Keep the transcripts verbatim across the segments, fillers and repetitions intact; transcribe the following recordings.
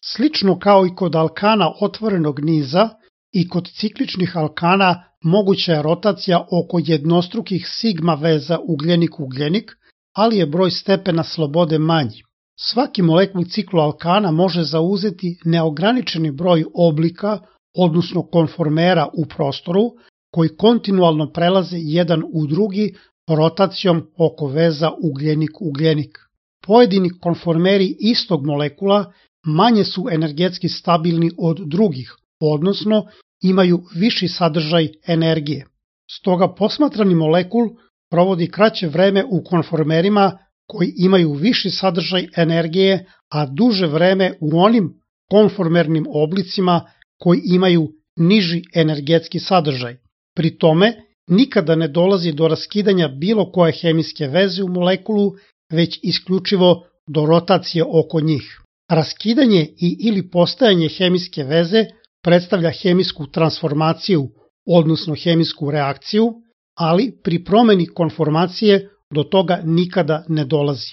Slično kao i kod alkana otvorenog niza, i kod cikličnih alkana moguća je rotacija oko jednostrukih sigma veza ugljenik-ugljenik, ali je broj stepena slobode manji. Svaki molekul cikloalkana može zauzeti neograničeni broj oblika, odnosno konformera u prostoru, koji kontinualno prelaze jedan u drugi rotacijom oko veza ugljenik-ugljenik. Pojedini konformeri istog molekula manje su energetski stabilni od drugih, odnosno imaju viši sadržaj energije. Stoga posmatrani molekul provodi kraće vreme u konformerima koji imaju viši sadržaj energije, a duže vreme u onim konformernim oblicima koji imaju niži energetski sadržaj. Pri tome, nikada ne dolazi do raskidanja bilo koje hemijske veze u molekulu, već isključivo do rotacije oko njih. Raskidanje i ili postajanje hemijske veze predstavlja hemijsku transformaciju, odnosno hemijsku reakciju, ali pri promeni konformacije do toga nikada ne dolazi.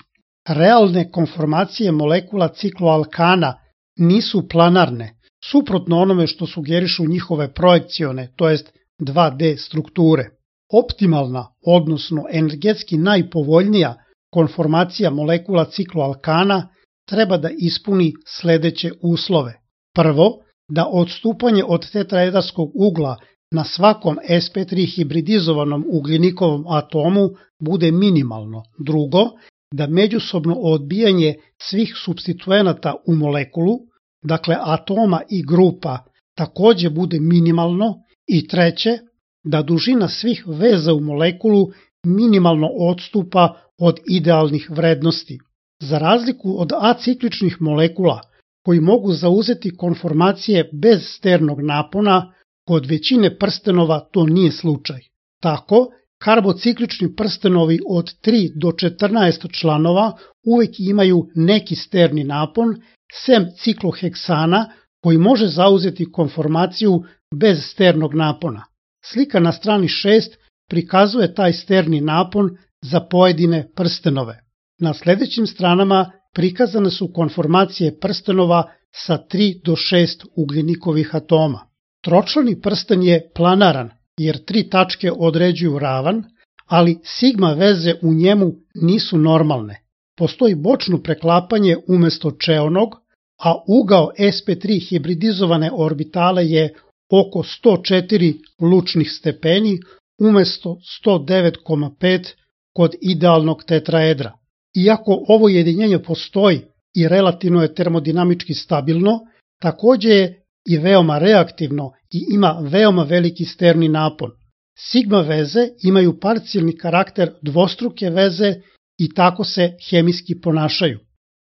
Realne konformacije molekula cikloalkana nisu planarne, suprotno onome što sugerišu njihove projekcione, to jest dva D strukture. Optimalna, odnosno energetski najpovoljnija konformacija molekula cikloalkana treba da ispuni sledeće uslove. Prvo, da odstupanje od tetraedarskog ugla na svakom S P tri hibridizovanom ugljenikovom atomu bude minimalno. Drugo, da međusobno odbijanje svih supstituenata u molekulu, dakle atoma i grupa, takođe bude minimalno. I treće, da dužina svih veza u molekulu minimalno odstupa od idealnih vrednosti. Za razliku od acikličnih molekula, koji mogu zauzeti konformacije bez sternog napona, kod većine prstenova to nije slučaj. Tako, karbociklični prstenovi od tri do četrnaest članova uvek imaju neki sterni napon, sem cikloheksana koji može zauzeti konformaciju bez sternog napona. Slika na strani šest prikazuje taj sterni napon za pojedine prstenove. Na sledećim stranama prikazane su konformacije prstenova sa tri do šest ugljenikovih atoma. Tročlani prsten je planaran, jer tri tačke određuju ravan, ali sigma veze u njemu nisu normalne. Postoji bočno preklapanje umesto čeonog, a ugao S P tri hibridizovane orbitale je oko sto četiri lučnih stepeni umesto sto devet zarez pet kod idealnog tetraedra. Iako ovo jedinjenje postoji i relativno je termodinamički stabilno, takođe je i veoma reaktivno i ima veoma veliki sterni napon. Sigma veze imaju parcijalni karakter dvostruke veze i tako se hemijski ponašaju.